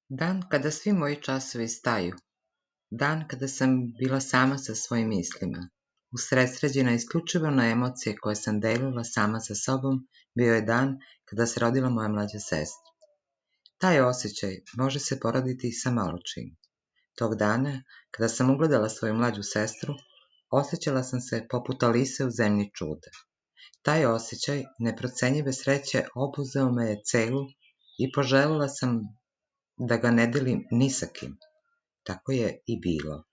Dan kada svi moji časovi staju. Dan kada sam bila sama sa svojim mislima. Usredsređena isključivo na emocije koje sam delila sama sa sobom, bio je dan kada se rodila moja mlađa sestra. Taj osjećaj može se poroditi i sa malo čim. Tog dana, kada sam ugledala svoju mlađu sestru, osjećala sam se poput Alise u zemlji čuda. Taj osjećaj neprocenjive sreće obuzeo me je celu i poželjela sam da ga ne delim ni sa kim. Tako je i bilo.